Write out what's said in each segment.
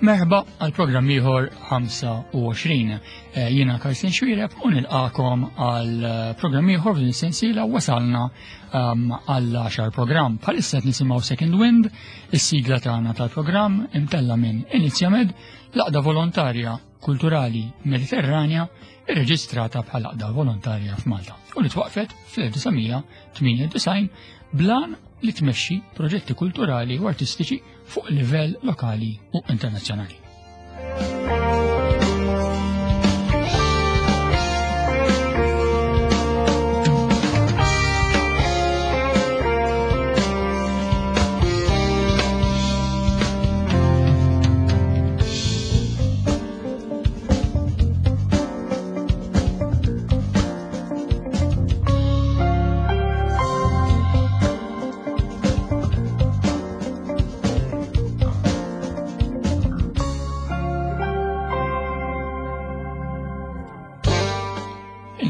Merħba għal programm ieħor 25. Eh, jiena Karsten Xwireb u nilqakom għal eh, programm ieħor f'din is-sensiela wasalna ehm, għal 10 programm. Bħalissa qed nisimgħu Second Wind, is-sigla tagħna tal-programm imtella minn Inizjamed, l-aqda volontarja kulturali Mediterranja irreġistrata bħala għaqda volontarja f'Malta u li twaqfet fl-1998 blan li tmexxi proġetti kulturali u artistiċi fuq livell lokali u internazzjonali.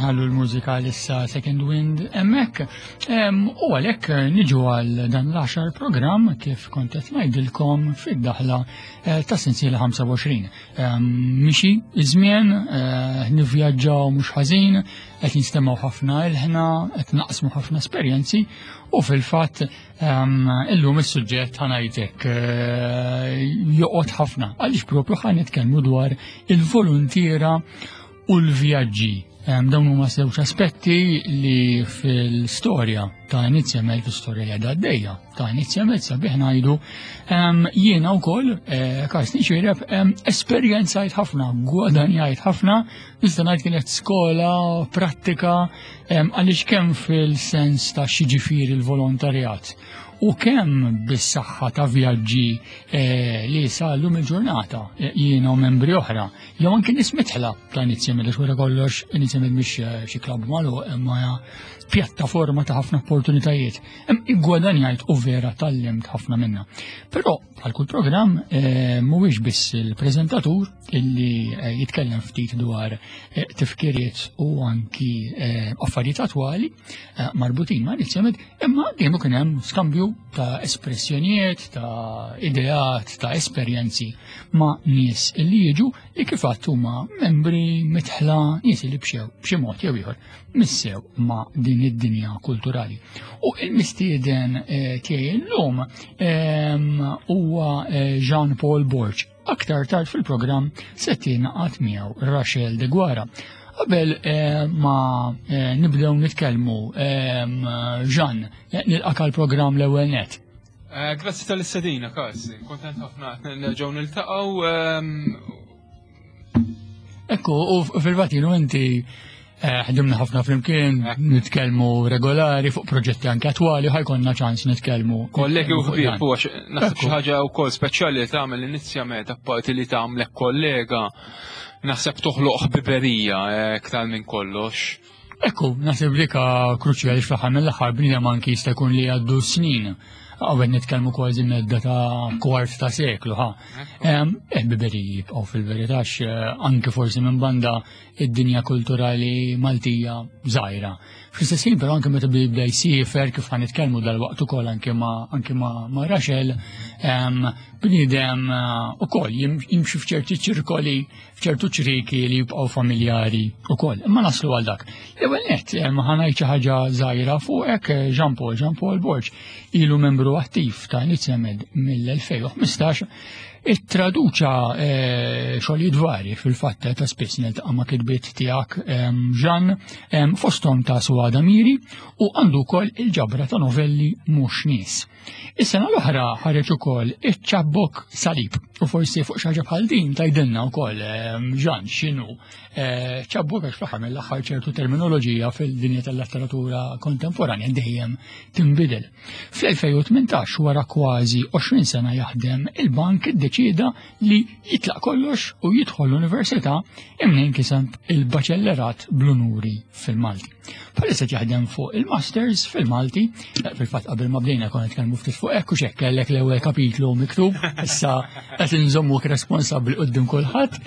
Inħallu l-mużika issa Second Wind hemmhekk. U għalhekk niġu għal dan l-għaxar programm kif kont qed ngħidilkom fid-daħla eh, ta' sensiela 25. Mixi iż-żmien, eh, nivvjaġġaw mhux ħażin, qed nistemgħu ħafna ilħna, qed naqsmu ħafna esperjenzi u fil-fatt illum is-suġġett ħanajtek eh, joqgħod ħafna għaliex propju ħan nitkellmu dwar il-voluntiera u l-vjaġġi. Dawn huma żewġ aspetti li fil-storja ta' Inizjamed, fil-storja li għadha għaddejja ta' Inizjamed sabiħ ngħidu, jiena wkoll eh, Karsten Xireb esperjenzajt ħafna, gwadanjajt ħafna, nista' ngħid kienet skola prattika għaliex kemm fil-sens ta' xiġifieri l-volontarjat u kemm bis-saħħa ta' vjaġġi eh, li sallum il-ġurnata eh, jiena u membri oħra, jew anke nies mitħla ta' Inizjamed għax wara kollox Inizjamed mhix eh, xi klabb magħluq imma pjattaforma ta' ħafna opportunitajiet. Iggwadanjajt u vera tallimt ħafna minna. Però bħal kull programm mhuwiex biss il-preżentatur illi jitkellem ftit dwar tifkiriet u anki affarijiet attwali marbutin ma' Inizjamed, Imma dejjem ikun hemm skambju ta' espressjonijiet, ta' ideat, ta' esperjenzi ma' nies li jiġu li kif għadt huma membri mitħla nies li bxew b'xi mod jew ieħor missew ma' din id-dinja kulturali. U il-mistieden eh, tiegħi llum ehm, huwa eh, Jean Paul Borg Aktar tard fil-programm se tingħaqad miegħu Rachel de Guara. Qabel eh, ma eh, nibdew nitkellmu eh, Jean, nilqak għall-programm l-ewwel net. Grazzi tal-istedina, Kaz. Kontent ħafna nerġgħu niltaqgħu. Ehm, Ekku, u fil-fatt inti eh, ħdimna ħafna flimkien, nitkellmu regolari fuq proġetti anke attwali, ħajkonna ċans nitkellmu. Kollegi u ħbieb, u naħseb xi ħaġa wkoll speċjali li tagħmel inizjament apparti li tagħmlek kollega, naħseb toħloq ħbiberija eh, iktar minn kollox. Ekku, naħseb dik kruċjali fl-aħħar mill-aħħar bniedem anki jista' jkun li għaddu snin. Għawet nitkellmu kważi medda ta' kwart ta' seklu, ha. Ħbiberiji jibqgħu fil-verità eh, anki forsi minn banda id-dinja kulturali Maltija żgħira. Fl-istess ħin però anke meta bibda jsiefer kif ħan nitkellmu dal-waqt ukoll anke ma' anke ma' ma' Rachel, bniedem eh, ukoll jimxi f'ċerti ċirkoli, f'ċertu ċriki li jibqgħu familjari ukoll. Imma naslu għal dak. L-ewwel nett ħa ngħid xi ħaġa żgħira fuqek eh, Jean Paul, Jean Paul Borg, ilu membru attiv ta' Inizjamed mill-2015 Ittraduċa eh, xogħlijiet varji fil-fatt ta' spiss niltaqa' ma' kitbiet tiegħek Jean fosthom ta' Suada Miri u għandu wkoll il-ġabra ta' novelli mhux nies. Is-sena l-oħra ħareġ ukoll iċ-ċabbok salib u forsi fuq xi ħaġa bħal din tgħidilna wkoll Jean x'inhu eh, ċabbok għax fl-aħħar mill-aħħar ċertu terminoloġija fil-dinja tal-letteratura kontemporanja dejjem tinbidel. Fl-2018 wara kważi 20 sena jaħdem il-bank iddeċieda li jitlaq kollox u jidħol l-università imnejn kiseb il-baċellerat bl-unuri fil-Malti. Bħalissa jaħdem fuq il-Masters fil-Malti, eh, fil-fatt qabel ma bdejna konna nitkellmu ftit fuq hekk u xekk kellek l-ewwel kapitlu miktub, issa qed inżommuk responsabbli quddiem kulħadd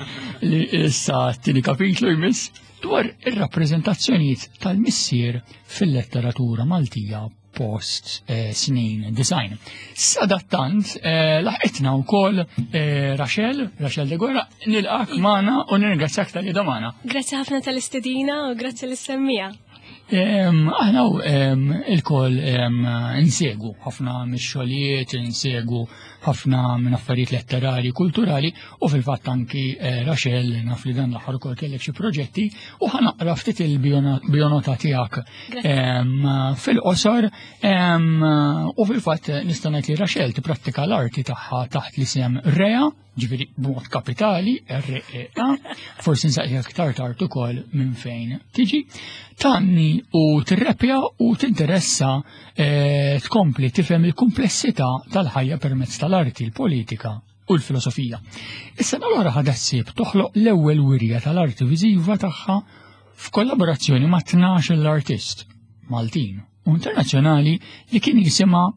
li issa t-tieni kapitlu jmiss. dwar ir-rappreżentazzjonijiet tal-missier fil-letteratura Maltija post eh, snin design. Sadattant, eh, laħqitna wkoll eh, Rachel, Rachel de Guerra, nilqak magħna u nirringrazzjak tal-li magħna. Grazzi ħafna tal-istedina u grazzi l-semmija. Aħna il-koll insegu ħafna mix-xogħlijiet, insegu ħafna minn affarijiet letterari, kulturali u fil-fatt anki eh, Rachel naf li dan l-aħħar ukoll kellek xi proġetti u ħanaqra ftit il-bionota tiegħek fil-qosor u fil-fatt nista' ngħid li Rachel tipprattika l-arti tagħha taħt l-isem Rea ġifieri b'mod kapitali, R-E-A, forsi nsaqsik aktar tard ukoll minn fejn tiġi, tanni u tirrepja u tinteressa eh, tkompli tifhem il-kumplessità tal-ħajja permezz tal-arti, il-politika u l-filosofija. Is-sena l-oħra ħadet ħsieb toħloq l-ewwel wirja tal-arti viżiva tagħha f'kollaborazzjoni ma' 12 l-artist Maltin u internazzjonali li kien jisimha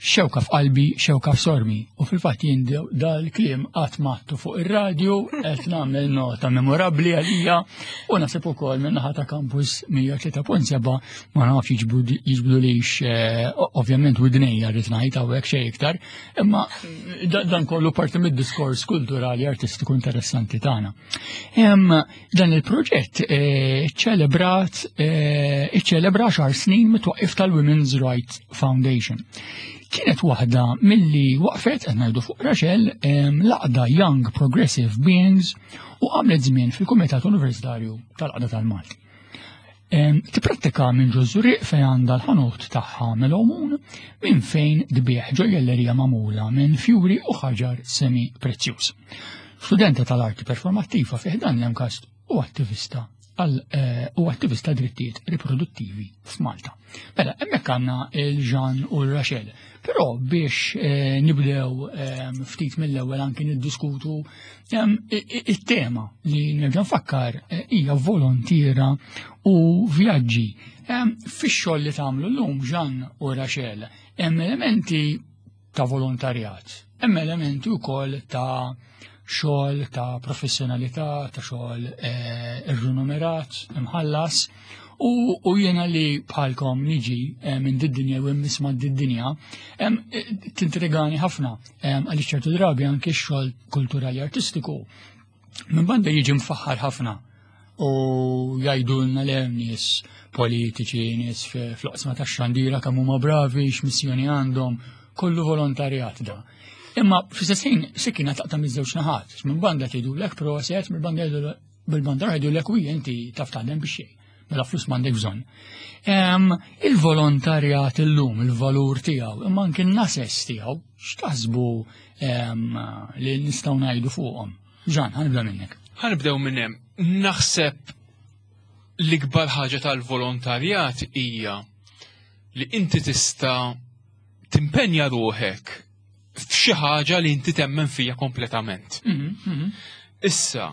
Xewka f'qalbi, xewka f'sormi. U fil-fatt jien dal-kliem qatt mattu fuq ir-radju qed nagħmel nota memorabbli għalija u nasib ukoll minn naħa ta' Campus 103.7 ma nafx jiġbdu lix eh, ovvjament widnejja rrid ngħid hawnhekk xejn iktar, imma dan kollu parti mid-diskors kulturali artistiku interessanti tagħna. Dan il-proġett eh, ċelebrat eh, iċċelebra xar snin mit-twaqqif tal-Women's Rights Foundation. Kienet waħda milli waqfet qed ngħidu fuq Rachel l-għaqda Young Progressive Beings u għamlet żmien fil-Kumitat Universitarju tal-Qda tal-Malti. Tiprattika minn ġo Żurrieq fejn għandha l-ħanut tagħha Melomun minn fejn tbigħ ġojjellerija magħmula minn fjuri u ħaġar semi prezzjuż. Studenta tal-arti performattiva fi ħdan l-MCAST u attivista għal eh, u attivista drittijiet riproduttivi f'Malta. Mela, hemmhekk għandna il-Jean u l-Rachel. Però biex eh, nibdew eh, ftit mill-ewwel anki niddiskutu it-tema li nerġa' nfakkar hija volontiera u vjaġġi. Fix-xogħol li tagħmlu llum Jean u Rachel hemm elementi ta' volontarjat. Hemm elementi wkoll ta' xogħol ta' professjonalità, ta' xogħol eh, irrenumerat, imħallas, u, u jiena li bħalkom niġi eh, minn did-dinja u nisma' did-dinja, eh, tintrigani ħafna għaliex ċertu drabi anke x-xogħol kulturali artistiku Minn banda jiġi mfaħħar ħafna u jgħidulna le nies politiċi, nies fl-oqsma tax-xandira kemm huma bravi, x'missjoni għandhom, kollu volontarjat da. Imma fl-istess ħin sikkina taqta' miż-żewġ naħat, minn banda tgħidulek proset, minn banda bil-banda jgħidulek u inti taf taħdem biex xejn. Mela flus m'għandek bżonn. Il-volontarjat illum, il-valur tiegħu, imma anke n-nases tiegħu, x'taħsbu li nistgħu ngħidu fuqhom? Ġan, ħanibda minnek. Ħanibdew minn hemm. Naħseb l-ikbar ħaġa tal-volontarjat hija li inti tista' timpenja ruħek f'xi ħaġa li inti temmen fija kompletament. Mhm, mhm. Issa,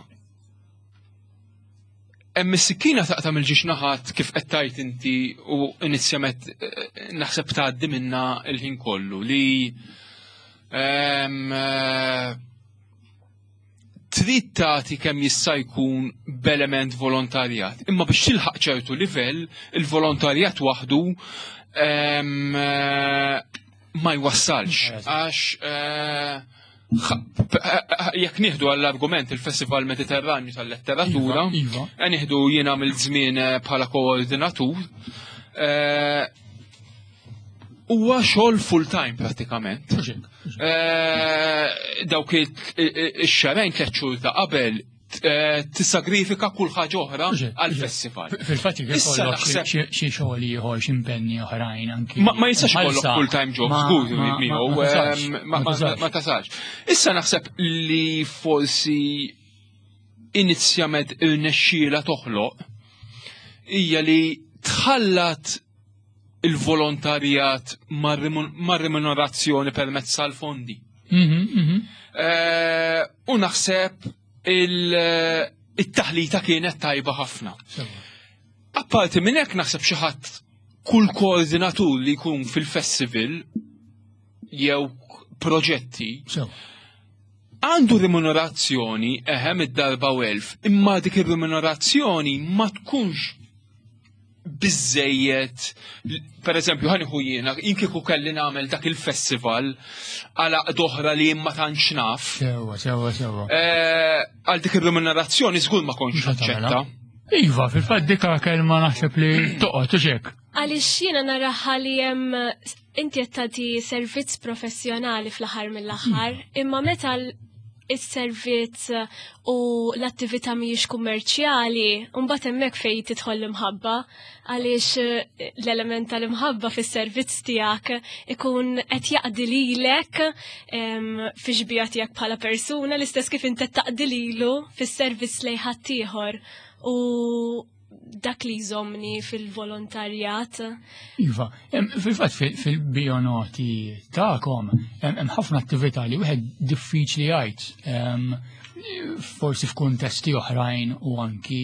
Hemm is-sikkina taqta' mill-ġiex naħat kif qed tgħid inti u inizjament eh, naħseb tgħaddi minna l-ħin kollu li ehm, eh, trid tagħti kemm jista' jkun b'element volontarjat. Imma biex tilħaq ċertu livell, il-volontarjat waħdu ehm, eh, ma jwassalx għax jekk nieħdu għall-argument il-Festival Mediterranju tal-Letteratura, iva, iva. Eh, nieħdu jiena mill-żmien eh, bħala koordinatur, eh, huwa xogħol full time pratikament. Dawk ix-xarajn tliet xhur ta' qabel Eh, tissagrifika kull ħaġa oħra għal-festival. Fil-fatt ikollok xi xogħol ieħor xi impenni oħrajn anki. Ma jistax ikollok full-time job żgur miegħu ma tasalx. Issa naħseb li forsi inizjament irnexxiela toħloq hija li tħallat il-volontarjat mar-remunerazzjoni permezz tal-fondi. Mhm, mhm. Eh, u naħseb il-taħlita kienet tajba ħafna. Apparti minn hekk naħseb xi ħadd kull koordinatur li jkun fil-festival jew proġetti. Għandu remunerazzjoni eħem id-darba u elf, imma dik ir-remunerazzjoni ma tkunx biżejjed, per eżempju, ħaniħu jiena, jien kieku kelli nagħmel dak il-festival għal oħra li ma tantx naf. Sewa, sewa, sewa. Eh, għal dik ir-remunerazzjoni żgur ma kontx naċċetta. Iva, fil-fatt dika kelma naħseb li toqgħod u xek. Għaliex jiena naraha li hemm inti qed tagħti servizz professjonali fl-aħħar mill-aħħar, imma meta is-servizz u l-attività mhijiex kummerċjali, mbagħad hemmhekk fejn tidħol l-imħabba għaliex eh, l-element tal-imħabba fis-servizz tiegħek ikun qed jaqdi lilek fi xbija tiegħek bħala persuna l-istess kif inti taqdi lilu fis-servizz lejn ħaddieħor. U dak li jżomni fil-volontarjat. Iva, fil-fatt fil-bionoti ta'kom, hemm ħafna attività li wieħed diffiċli jgħid, forsi f'kuntesti oħrajn u anki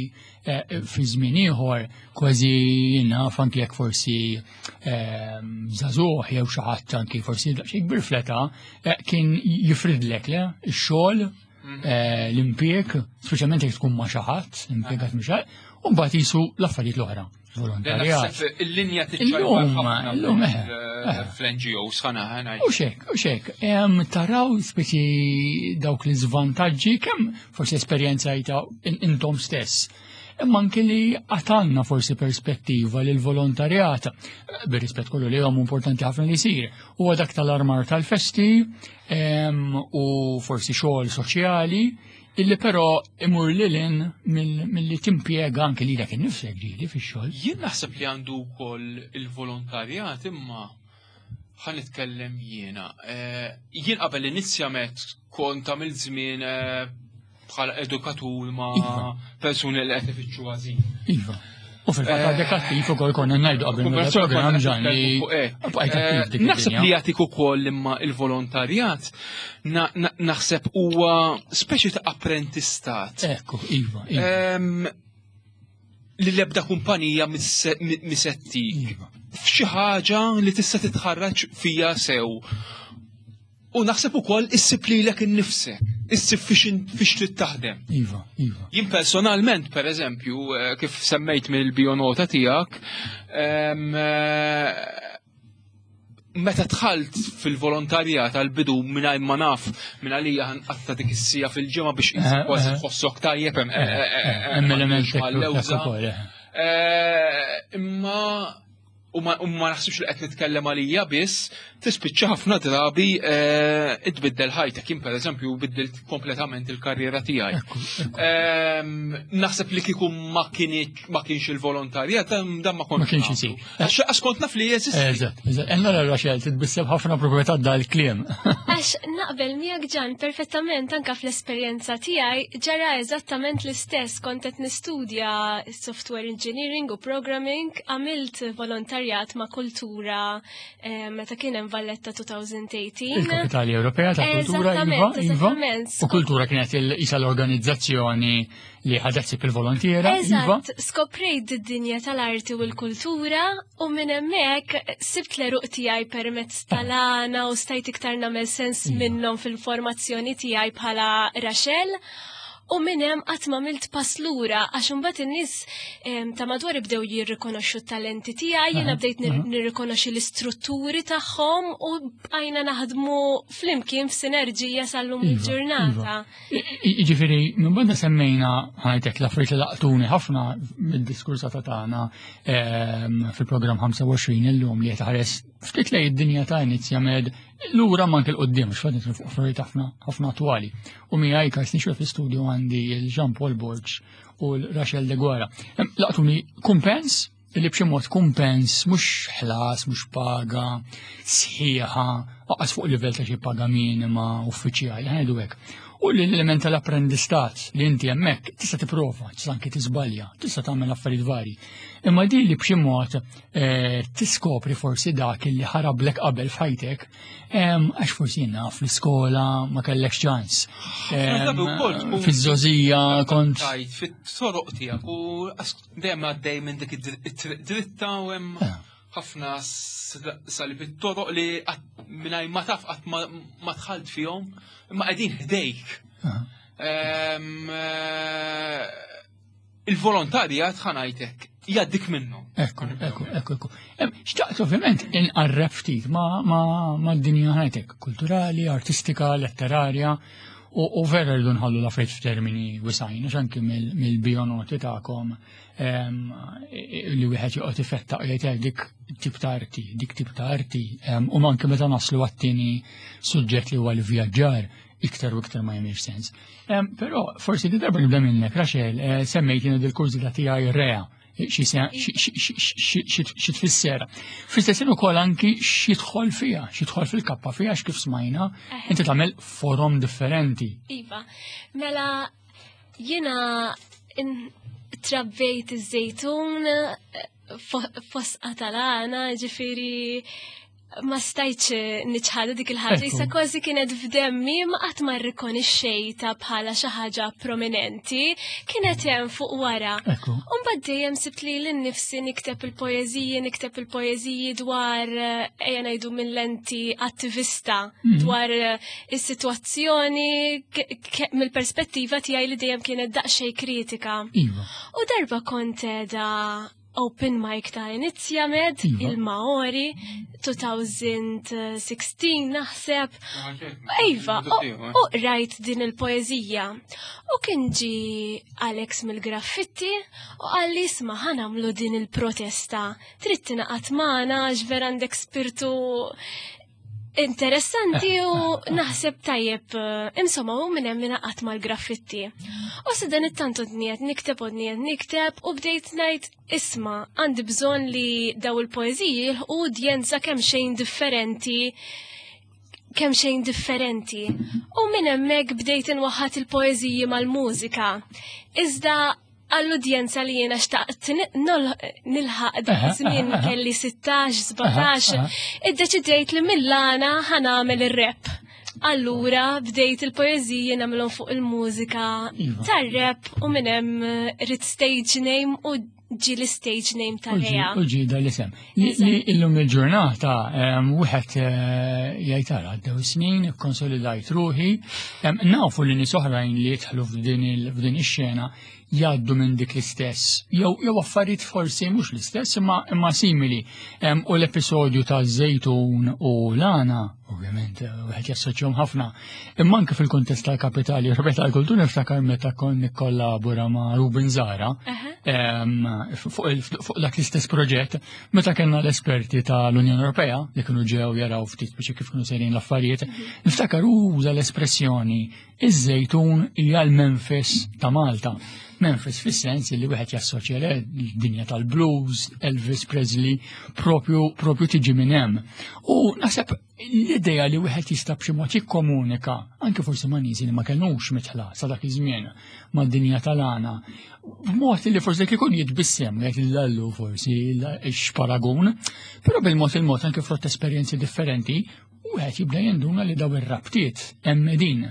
eh, fi żmien ieħor kważi naf anki jekk forsi żagħżugħ jew xi ħadd anki forsi daqsxejn kbir fleta eh, kien jifridlek le ix-xogħol eh, l-impjieg, speċjalment jekk tkun ma' xi ħadd, impjegat ma' xi ħadd, u mbagħad jisu l-affarijiet l-oħra. Volontarjat. Il-linja tiċċajpa eh, eh. fl-NGOs ħana ħana. U xek, u xek, taraw speċi dawk l-iżvantaġġi kemm forsi esperjenzajta intom stess. Imma anke li għatanna forsi perspettiva li l-volontarjat, bir-rispett kollu li għom importanti ħafna li jsir, huwa dak tal-armar tal-festi, u forsi xogħol soċjali illi però imur lilin mill-li timpjega anke lilek innifsek ġieli fix-xogħol. Jien naħseb li għandu wkoll il-volontarjat imma ħa nitkellem jiena. Eh, jien qabel inizjamet kont għamil żmien eh, bħala edukatur ma' iva. persuni li qed ifittxu għażil. Iva. U fil-fatt għadek attiv ukoll konna ngħidu qabel mill-programm ġan li bqajt attiv dik. Naħseb li jagħtik ukoll imma il-volontarjat naħseb huwa speċi ta' apprentistat. Ekku, iva. iva. Li l-ebda kumpanija misettik. Iva. F'xi ħaġa li tista' titħarraġ fija sew. U naħseb ukoll issib lilek innifsek, issib fiex trid taħdem. Iva, iva. Jien personalment, per eżempju, eh, kif semmejt mill-bionota tiegħek, eh, meta dħalt fil-volontarjat għal-bidu mingħajr ma naf minn għalija ħanqatta dik is-sija fil-ġimgħa biex eh, kważi tħossok tajjeb hemm element Imma u ma naħsibx li qed nitkellem għalija biss, tispiċċa ħafna drabi eh, tbiddel ħajtek. Jien pereżempju biddilt kompletament il-karriera tiegħi. Ehm, naħseb li kieku ma kienx il-volontarjat, dan ma kontx. Ma kienx isir. Għax kont naf li jeżisti. Eżatt, eżatt. Enna Rachel titbisseb ħafna proprjetà dal-kliem. Għax naqbel miegħek ġan perfettament anka fl-esperjenza tiegħi ġara eżattament l-istess kont qed nistudja software engineering u programming, għamilt volontarjat ma' kultura eh, meta kien hemm Valletta 2018. Il-Kapitali Ewropea ta' Kultura, iva, iva. U kultura kienet il-isa l-organizzazzjoni li ħadet sib il-volontiera. Iva. Eżatt, skoprejt id-dinja tal-arti u l-kultura u minn hemmhekk sibt l-eruq tiegħi permezz tal-għana u stajt iktar nagħmel sens iva. minnhom fil-formazzjoni tiegħi bħala Rachel. U minn hemm qatt ma għamilt pass lura għax imbagħad in-nies ta' madwar bdew jirrikonoxxu t-talenti tiegħi, jiena bdejt nirrikonoxxi l-istrutturi tagħhom u bqajna naħdmu flimkien f'sinerġija sal-lum iva, il-ġurnata. Iva. Jiġifieri, minn banda semmejna ħajtek l-affarijiet li laqtuni ħafna mid-diskursata tagħna fil-programm 25 illum li qed ħares ftit lej id-dinja ta' Inizjamed lura ma anke l-qoddim, x'fad nitlu fuq affarijiet ħafna ħafna attwali. U miegħi Karsten Xwe fl-istudio għandi il-Jean Paul Borg u l-Rachel De Guara. Laqtuni kumpens, li b'xi mod kumpens mhux ħlas, mhux paga, sħiħa, aqas fuq livell ta' xi paga minima uffiċjali, ħajdu hekk. U l-element tal-apprendistat li inti hemmhekk tista' tipprova, tista' anke tiżbalja, tista' tagħmel affarijiet vari. Imma din li b'xi mod eh, tiskopri forsi dak li ħarablek qabel f'ħajtek, għax forsi jenna fl-iskola ma kellekx ċans. Fiż-żożija kont. Fit-toroq tiegħek u dejjem għaddej minn dik id-dritta u hemm eh. Ħafna salib it-toroq li mingħajr ma taf qatt ma dħalt fihom, imma qegħdin ħdejk. Eh, il-volontarjat ħanajtek jgħaddik minnu. Ekku, ekku, ekku, ekku. Xtaqt ovvjament inqarreb ftit ma' d-dinja ħajtek, kulturali, artistika, letterarja, u vera rridu nħallu l-affarijiet f'termini wisajn, għax anki mill-bionoti tagħkom li wieħed joqgħod ifettaq jgħid dik tip ta' arti, dik tip ta' arti, u anke meta naslu għat-tieni suġġett li huwa l-vjaġġar, iktar u iktar ma jagħmilx sens. Però forsi di darba nibda minnek, Rachel, eh, semmejt jiena dil-kurżità tiegħi rea xi tfisser. Fl-istess ukoll anki x'jidħol fiha, x'jidħol fil-kappa fiha kif smajna, inti tagħmel forom differenti. Iva, mela jiena trabbejt iż-żejtun eh, fosqa tal-għana, ġifiri ma stajtx niċħadu dik il-ħaġa, jisa kważi kienet f'demmi ma qatt ma rrikonixxejta bħala xi ħaġa prominenti, kienet hemm fuq wara. U mbagħad dejjem sibt li lil nifsi nikteb il-poeżiji, nikteb il-poeżiji dwar eh, ejja ngħidu minn lenti attivista mhm. dwar eh, is-sitwazzjoni mill-perspettiva tiegħi li dejjem kienet daqsxejn kritika. Iva. U darba kont da open mic ta' Inizjamed, iva. il-Maori, 2016 naħseb. Iva, u rajt din il-poezija. U kien ġi Alex mill-graffitti u għalli isma ħanamlu din il-protesta. Trid tingħaqad magħna għax vera għandek spirtu Interessanti u naħseb tajjeb, eh, insomma, u minn hemm ingħaqad mal-graffitti. U sa dan it-tant dniet nikteb u dniet nikteb u bdejt ngħid isma' għandi bżonn li daw il-poeżiji jilħqu udjenza kemm xejn differenti kemm xejn differenti. U minn hemmhekk bdejt inwaħħat il-poeżiji mal-mużika. Iżda għall-udjenza li jiena xtaqt nilħaq dak iż-żmien kelli 16, 17, iddeċidejt li mill-għana ħanamel ir-rap. Allura bdejt il-poeżiji nagħmilhom fuq il-mużika iva. tar-rap u minn hemm eh, rid stage name u ġi l-stage name ta' Rea. U ġi da l-isem. Li illum il-ġurnata wieħed eh, jgħid ara għaddew snin, konsolidajt ruħi, nafu li nies oħrajn li jidħlu f'din ix-xena jgħaddu minn dik l-istess, jew jew affarijiet forsi mhux l-istess imma imma simili. U l-episodju ta' żejtun u lana, ovvjament, eh, wieħed jassoċjhom ħafna. Imma anke fil-kuntest tal-Kapitali Ewropea tal-Kultura niftakar meta kon nikkollabora ma' Ruben Zara fuq dak l-istess proġett, meta kellna l-esperti tal-Unjoni Ewropea li kienu ġew jaraw ftit biex kif kienu sejrin l-affarijiet, mhm. niftakar uża l-espressjoni Iż-żejtun hija l-Memphis ta' Malta. Memphis fis-sens li wieħed jassoċja l-dinja tal-blues, Elvis Presley, propju propju tiġi minn hemm. U naħseb l-idea li wieħed jista' b'xi mod jikkomunika, anke forsi ma' nies li ma kenux mitħla sa dak iż-żmien mad-dinja tal-għana, b'mod li forsi kikun jitbissem jgħid l-allu forsi x-paragun, però bil-mod il-mod anke frott esperjenzi differenti wieħed jibda jinduna li daw ir-rabtiet hemm din.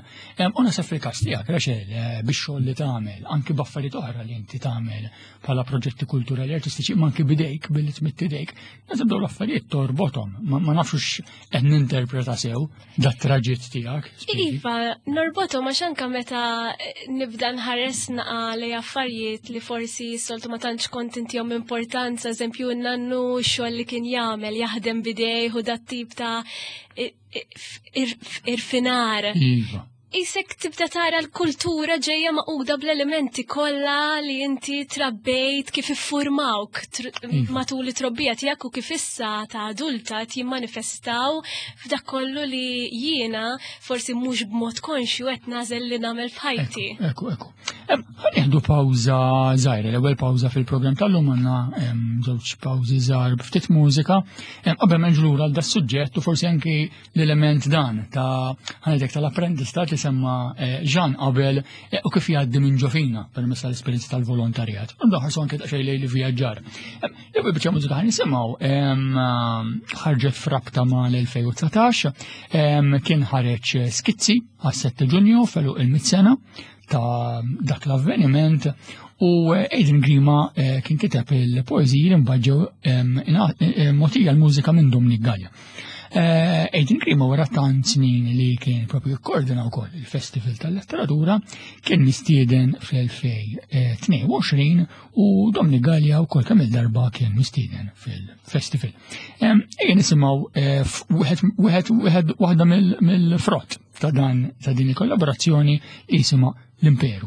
U naħseb fil-każ tiegħek, Rachel, eh, bix-xogħol li tagħmel, anki b'affarijiet oħra li inti tagħmel bħala proġetti kulturali artistiċi, ma anki bidejk billi tmitt idejk, naħseb dawn l-affarijiet torbothom, ma nafx qed ninterpreta sew dat traġitt tiegħek. Iva, norbothom għax anke meta nibda nħares naqa li affarijiet li forsi soltu ma tantx kont intihom importanza, eżempju nannu xogħol li kien jagħmel jaħdem bidejh u dat tip ta' irfinar. Iva. Isek tibda tara l-kultura ġejja maquda bl-elementi kollha li inti trabbejt kif iffurmawk iva. matul it-trobbija tiegħek u kif issa ta' adulta jimmanifestaw f'dak kollu li jiena forsi mhux b'mod konxju qed nażel li nagħmel f'ħajti. Ekku, ekku. Ħanieħdu pawża żgħira, l-ewwel pawża fil-programm tal-lum għandna żewġ pawżi żgħar b'ftit mużika. Qabel ma nġlura għal das-suġġett u forsi anki l-element dan ta' ħanedek tal-apprendistat li semma eh, Jean qabel eh, u kif jgħaddi minn ġofina permezz tal-esperjenza tal-volontarjat. U ħarsu anke daqsxejn lejn li vjaġġar. L-ewwel biċċa mużika ħan nisimgħu ħarġet frabta ma' l-2019 kien ħareġ skizzi għas-7 Ġunju felu il-mit sena ta' dak l-avveniment U Adrian Grima kien kiteb il-poeżiji li mbagħad ġew mogħtija l-mużika minn Dominic Gallia. Adrian Grima wara tant snin li kien propju koordina wkoll il-Festival tal-Letteratura kien mistieden fl-2022 u Dominic Gallia wkoll kemm il-darba kien mistieden fil-festival. Ejja nisimgħu wieħed waħda mill-frott ta' dan ta' din il-kollaborazzjoni jisimha l-Imperu.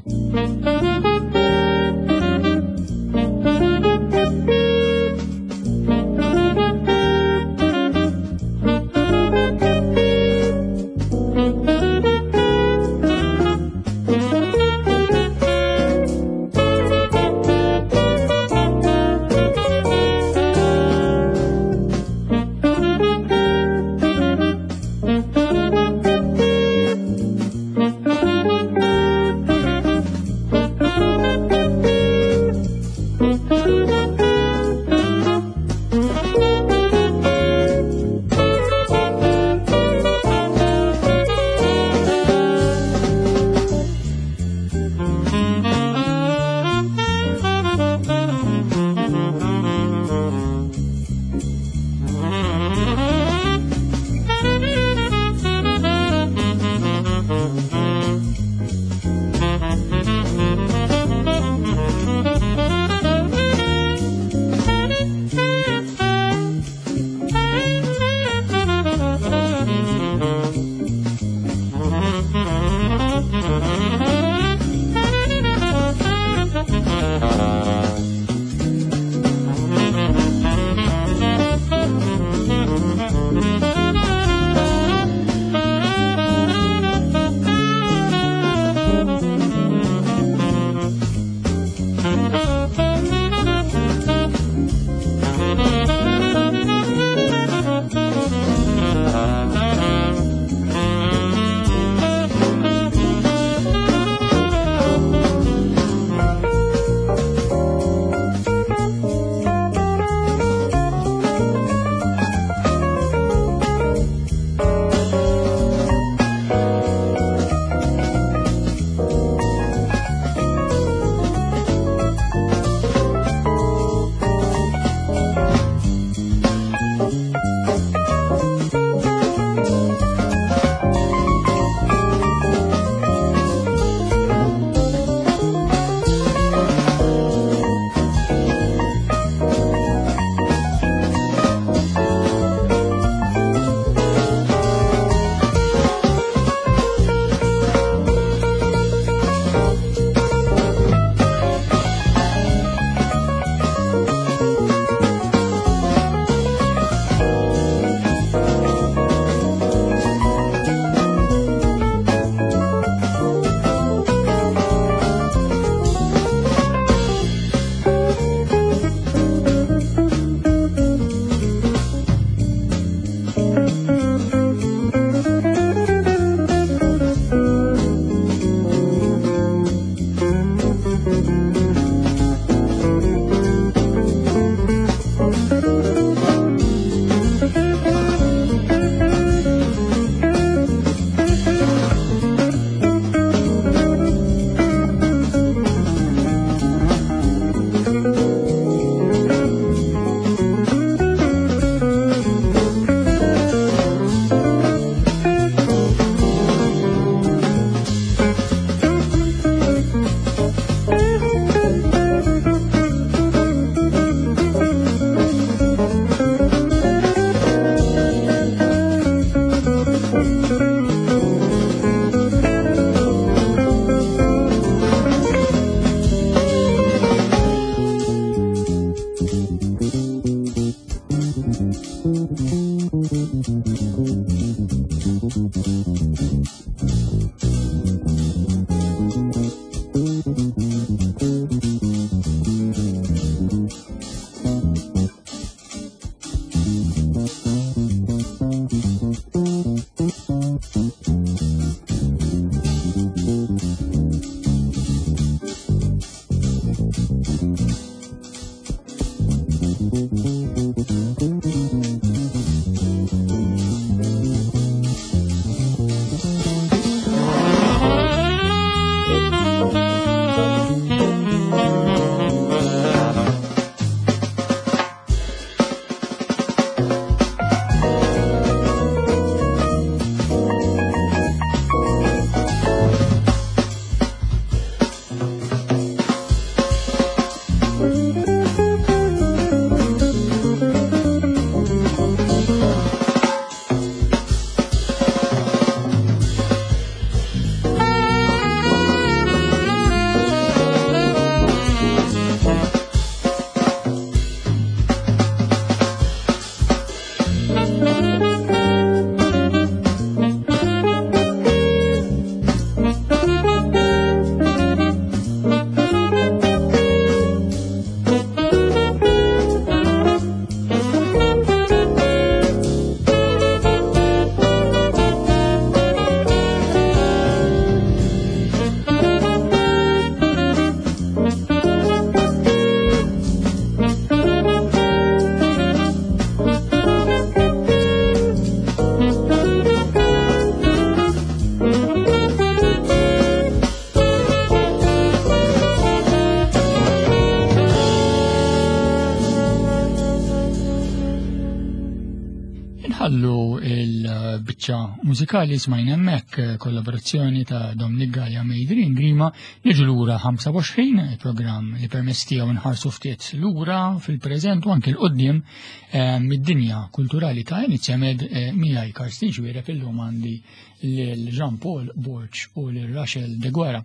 Inkomplu il-biċċa mużikali smajna hemmhekk eh, kollaborazzjoni ta' Dominic Gallia Mejdrin Grima niġu lura 25 il-programm li permess tiegħu nħarsu ftit lura fil-preżent u anke l-qudiem eh, mid-dinja kulturali ta' Inizjamed eh, miegħi Karsten Xwiereb illum għandi lil Jean Paul Borg u lil Rachel De Guerra.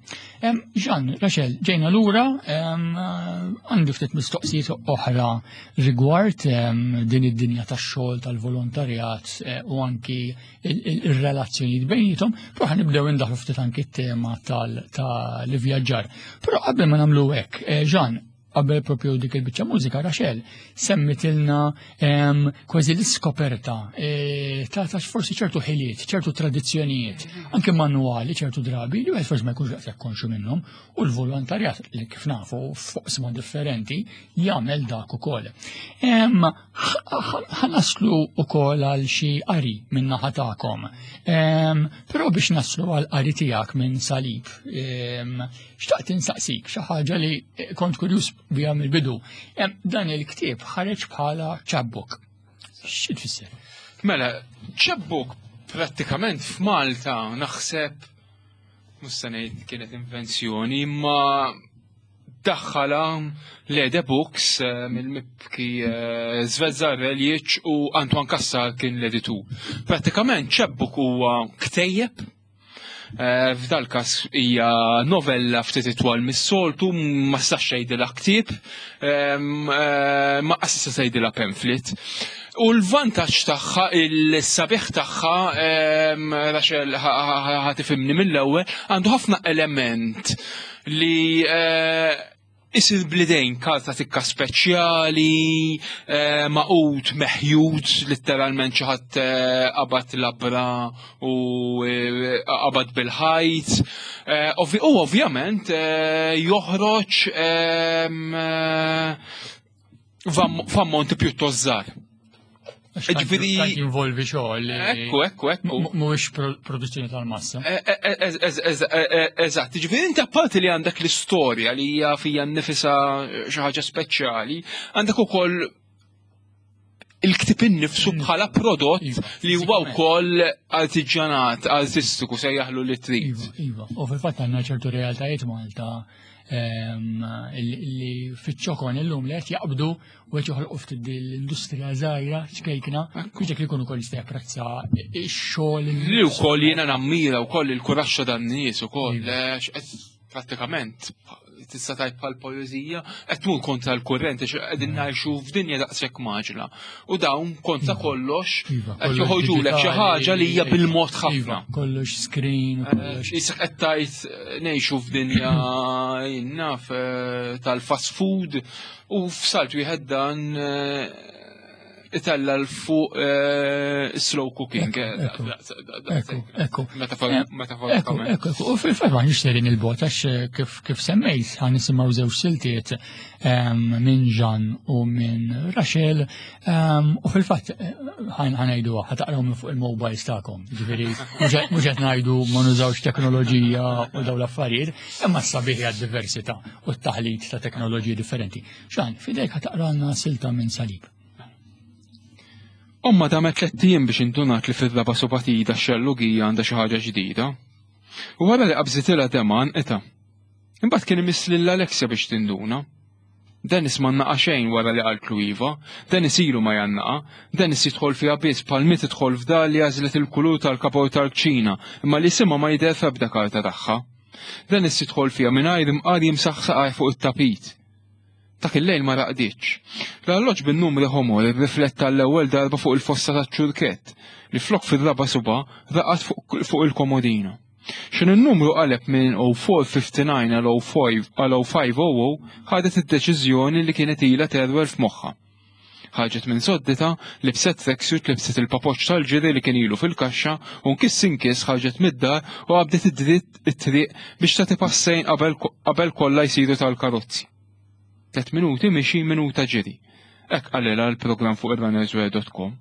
Jean, Rachel, ġejna lura għandi ftit mistoqsijiet oħra rigward din id-dinja tax-xogħol tal-volontarjat eh, u anki il-relazzjonijiet bejnietom, però ħanibdew indaħlu ftit anki t-tema tal-ivvjaġġar. Però qabel ma nagħmlu hekk, eh, Jean, qabel propju dik il-biċċa mużika Rachel semmitilna kważi l-iskoperta e, ta' ta' forsi ċertu ħiliet, ċertu tradizzjonijiet, anke manwali ċertu drabi li wieħed forsi ma jkunx daqshekk konxu minnhom u l-volontarjat li kif nafu fuq differenti jagħmel dak ukoll. Ħanaslu ukoll għal xi qari minn naħa tagħkom. Però biex naslu għal qari tiegħek minn salib, xtaqt insaqsik xi ħaġa li kont kurjuż biha mill-bidu. Dan il-ktieb ħareġ bħala chapbook. Xi tfisser? Mela, chapbook prattikament f'Malta naħseb mhux se ngħid kienet invenzjoni, imma daħħala l-Ede Books eh, mill-mibki eh, Zvezza Reljic u Antoine Kassar kien l-editur. Pratikament ċebbuk huwa ktejjeb eh, F'dal każ hija novella ftit itwal mis-soltu, ma sax jgħidilha ktieb, ma qas se jgħidilha pamphlet. U l-vantaġġ tagħha, il-sabiħ tagħha, Rachel ħatifimni mill-ewwel, għandu ħafna element li eh, isir blidejn karta tikka speċjali, eh, maqut meħjut, letteralment xi ħadd eh, qabad labra u qabad bil-ħajt. U ovvjament joħroġ ehm, f'ammonti pjuttost żgħar. Ġifieri jinvolvi xogħol. Ekku, ekku, ekku. Mhuwiex produzzjoni tal-massa. E, e, e, eżatt, ġifieri inti apparti li għandek l-istorja li hija fija nnifisha xi ħaġa speċjali, għandek ukoll il-ktib innifsu mm. bħala prodott iva, li huwa wkoll artiġjanat, artistiku se jaħlu li trid. Iva, iva. U fil-fatt għandna ċertu realtajiet Malta Ehm, li fiċ-ċokon illum li qed jaqbdu u qed joħolqu ftit l-industrija żgħira ċkejkna biex dak li jkun ukoll jista' japprezza x-xogħol. Li wkoll jiena nammira wkoll il-kuraxxa dan-nies ukoll iva. prattikament tista' tajb bħal poeżija qed tmur kontra l-kurrent għax qegħdin mm. ngħixu f'dinja daqshekk maġla. U dawn kontra iva. kollox iva, qed joħorġulek xi ħaġa li hija bil-mod iva, ħafna. Kollox screen, eh, kollox. Isek qed tgħid eh, ngħixu f'dinja naf eh, tal-fast food u f'salt wieħed dan itella l-fuq eh, slow cooking. Eh, ekku, ekku. Ekku, u fil-fat ma nix serin il-bot, għax eh, kif semmejt, għan nisimaw zewġ siltiet ehm, minn Ġan u minn Rachel, ehm, u fil-fat ħanajdu ħataqraw minn fuq il-mobiles ta'kom, ġifiri, mux qed ngħidu ma nużawx teknoloġija u daw l-affarijiet, imma s-sabiħ diversità u t-taħlit ta' teknoloġiji differenti. Xan, fidejk ħataqralna silta minn salib. Ommha damet tlett ijiem biex indunat li fir-raba' subatida x-xellugija għandha xi ħaġa ġdida. U wara li qabżitilha demgħa għanqitha. Imbagħad kien imiss lil Alexia biex tinduna. Dennis ma nnaqa' xejn wara li qaltlu iva. Dennis ilu ma jgħannaqha. Dennis jidħol fiha biss bħal mi tidħol f'dar li għażlet il-kulur tal-kapor tal-kċina imma li isimha ma jidher f'ebda karta tagħha. Dennis jidħol fiha mingħajr imqar jimsaħ saqajh fuq it-tapit. Dak il-lejl ma raqditx. L-arloġġ bin-numri ħomor irrifletta għall-ewwel darba fuq il-fossa taċ-ċurkett, li flok fir-raba' suba' raqad fuq il-komodina. X'inhu n-numru qaleb minn 0459 għal 0500 ħadet id-deċiżjoni li kienet ilha terwer f'moħħha. Ħarġet minn sodditha, libset tracksuit, libset il-papoċċ tal-ġiri li kien ilu fil-kaxxa u nkiss inkiss ħarġet mid-dar u qabdet id-dritt it-triq biex tagħti passejn qabel kollha jsiru tal-karozzi. Tlet minuti mixi minuta ġiri. Hekk qalilha l-programm fuq ir-runnerswear.com.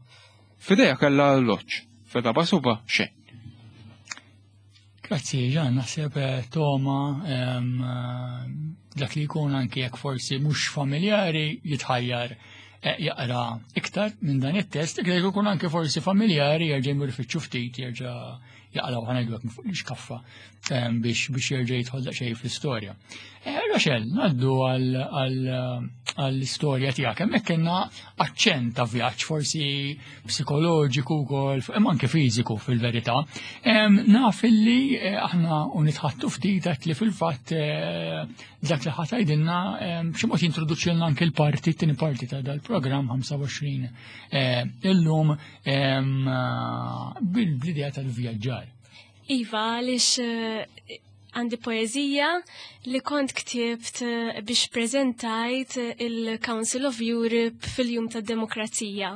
F'idejha kellha arloġġ, fir-raba' suba' xejn. Grazzi, Ġan, naħseb eh, Toma eh, dak li jkun anki jekk forsi mhux familjari jitħajjar. eh, jaqra iktar minn dan it-test, iktar jkun anke forsi familjari jerġa' jmur ifittxu ftit jerġa' jaqlaw ħanajdu minn fuq l-iskaffa ehm, biex biex jerġa' jidħol daqsxejn fl-istorja. Eh, Rochelle, ngħaddu għall-istorja tiegħek. Hemmhekk kellna aċċent ta' vjaġġ forsi psikoloġiku wkoll, imma anke fiżiku fil-verità. Ehm, naf illi eh, aħna u nitħattu ftit għedt li fil-fatt eh, dak li ħatajdilna ehm, b'xi mod jintroduċilna anke l-parti, t-tieni parti ta' dal-programm 25 illum ehm, bil-idea tal-vjaġġar. Iva, għaliex eh, għandi poezija li kont ktibt eh, biex prezentajt il-Council of Europe fil-Jum tad Demokrazija.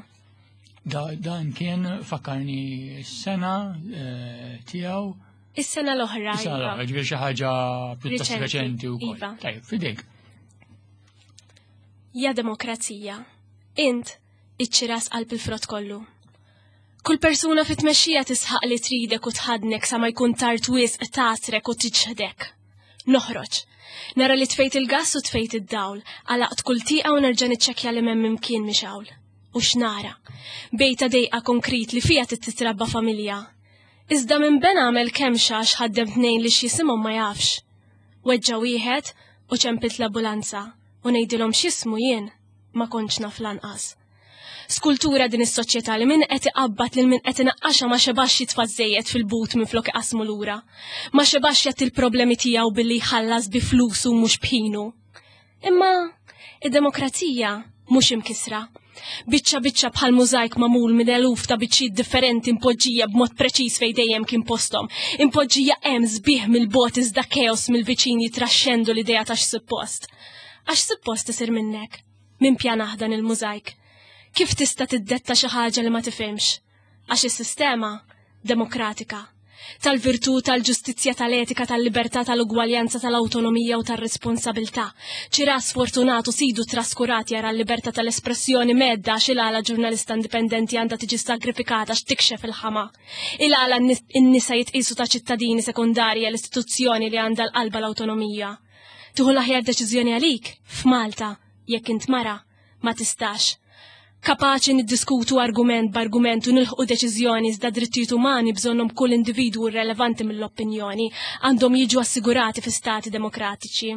Da, dan kien fakkarni s-sena eh, tiegħu. Is-sena l-oħra. Is-sena iva. l-oħra, ġifieri xi ħaġa pjuttost reċenti wkoll. Iva. Tajjeb, fidejk. Ja demokrazija, int iċ-ċiras qalb il-frott kollu. Kull persuna fit-tmexxija tisħaq li tridek u tħaddnek sa ma jkun tard wisq tagħsrek u tiċħdek. Noħroġ. Nara li tfejt il-gass u tfejt id-dawl, għalaqt kull tieqa u nerġa' niċċekkja li m'hemm imkien mixgħul. U x'nara? Bejta dejqa konkrit li fiha titrabba familja. Iżda minn ben għamel kemxa għax ħaddem tnejn li x'jisimhom ma jafx. Weġġa' wieħed u ċempilt l-ambulanza u ngħidilhom x'jismu jien ma kontx naf lanqas. Skultura din is-soċjetà li min qed iqabbad lil min qed inaqqaxha ma xebax jitfa' żejjed fil-but minflok iqassmu lura. Ma xebax jgħatti l-problemi tiegħu billi jħallas bi flusu mhux b'ħinu. Imma id-demokrazija mhux imkissra. Biċċa biċċa bħal mużajk magħmul minn eluf ta' biċċiet differenti impoġġija b'mod preċiż fejn dejjem kien posthom. Impoġġija hemm sbieħ mill-bogħod iżda keos mill-viċin jitraxxendu l-idea ta' x'suppost. Għax suppost isir minnek. Min pjanah dan il-mużajk? Kif tista' tiddetta xi ħaġa li ma tifhimx? Għax is-sistema demokratika tal-virtù, tal-ġustizzja, tal-etika, tal-libertà, tal-ugwaljanza, tal-awtonomija u tar-responsabilità. Ċira sfortunatu sidu traskurat jara l-libertà tal-espressjoni medda għax il-għala ġurnalista indipendenti għandha tiġi sagrifikata x'tikxef il-ħama. Il-għala n-nisa jitqisu ta' ċittadini sekondarji l-istituzzjoni li għandha l-qalba l-awtonomija. Tieħu l-aħjar deċiżjoni għalik f'Malta jekk int mara ma tistax. Kapaċi niddiskutu argument b'argument u nilħqu deċiżjoni iżda drittijiet umani bżonnhom kull individwu relevanti mill-opinjoni għandhom jiġu assigurati fi stati demokratiċi.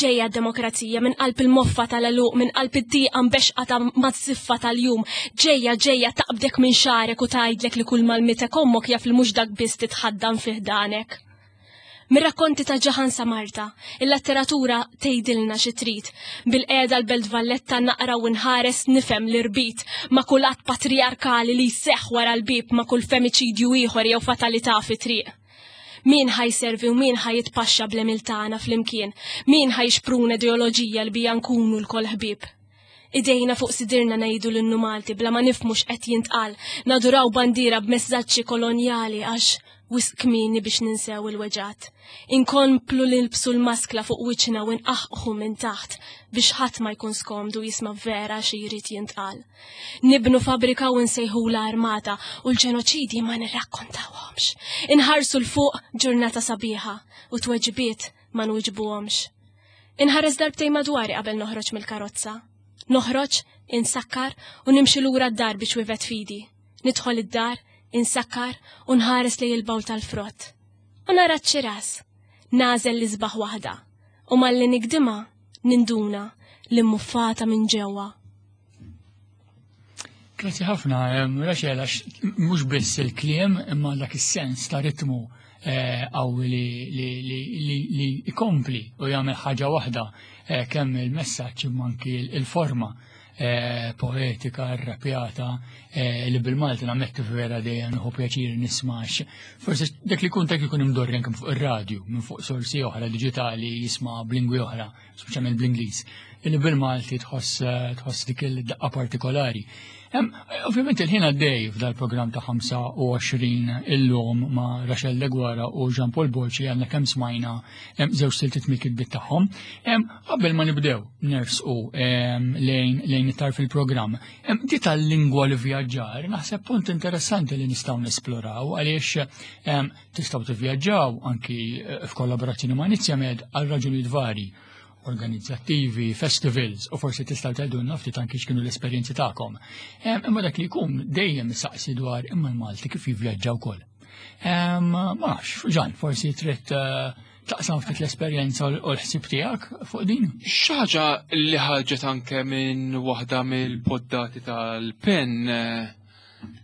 Ġejja d-demokrazija minn qalb il-moffa tal-għeluq, minn qalb id-diqa mbexqa ta' maż-żiffa tal-jum. Ġejja ġejja taqbdek minn xagħrek u tgħidlek li kull mal-mitek ommok jaf li mhux dak biss titħaddan fi ħdanek. Mir-rakkonti ta' Ġaħan sa Marta, il-letteratura tgħidilna xi trid. Bil-qiegħda l-Belt Valletta naqra u nħares nifhem l-irbit ma' kull att patrijarkali li jseħħ wara l-bieb ma' kull femiċidju ieħor jew fatalità fit-triq. Min ħa jservi u min ħa jitpaxxa bl-għemil tagħna flimkien? Min ħa jixpruna ideoloġija li bija nkunu lkoll ħbieb? Idejna fuq sidirna ngħidu l-innu Malti bla ma nifhmu x'qed jintqal, naduraw bandiera b'messaġġi kolonjali għax wisq kmieni biex ninsew il-weġgħat. Inkomplu nilbsu l-maskla fuq wiċċna u nqaħqħu minn taħt biex ħadd ma jkun skomdu jisma' vera xi jrid jintqal. Nibnu fabbrika u nsejħulha armata u l-ġenoċidji ma nirrakkontawhomx. Inħarsu 'l fuq ġurnata sabiħa u tweġibiet ma nwiġbuhomx. Inħares darbtejn madwari qabel noħroġ mill-karozza. Noħroġ, insakkar u nimxi lura d-dar biex wivet fidi. Nidħol id-dar, insakkar u nħares lejn il-bawl tal-frott. U nara ċ-ċiras. Nagħżel l-isbaħ waħda. U malli nigdimha, ninduna li mmuffata minn ġewwa. Grazzi ħafna, Rachel, għax mhux biss il-kliem imma dak is-sens ta' ritmu eh, qawwi li ikompli u jagħmel ħaġa waħda eh, kemm il-messaġġ imma anki il-forma eh, poetika, rrapjata li bil-Malti nammetti vera dejjem nieħu pjaċir nismax. Forsi dak li kun dak ikun imdorri anke fuq ir-radju minn fuq sorsi oħra diġitali jisma' b'lingwi oħra speċjalment bl-Ingliż, illi bil-Malti tħoss eh, tħoss dik il-daqqa partikolari. Ovvjament il-ħin għaddej f'dal-programm ta' 25 illum ma' Rachel Deguara u Jean Paul Borci għandna kemm smajna żewġ siltiet mill-kitbiet tagħhom. Qabel ma nibdew nersqu lejn lejn it fil-programm, di tal-lingwa li vjaġġar naħseb punt interessanti li nistgħu nesploraw għaliex Tistgħu tivvjaġġaw anki eh, f'kollaborazzjoni ma' Nizjamed għal raġunijiet vari. organizzattivi, festivals, u forsi tistgħu tgħidulna ftit anki x'kienu l-esperjenzi tagħkom. Imma dak li jkun dejjem saqsi dwar imma l-Malti kif jivvjaġġa wkoll. Ma nafx, Ġan, forsi trid eh, taqsam ftit l-esperjenza u l-ħsieb tiegħek fuq din? Xi ħaġa li ħarġet anke minn waħda mill-poddati tal-pen eh,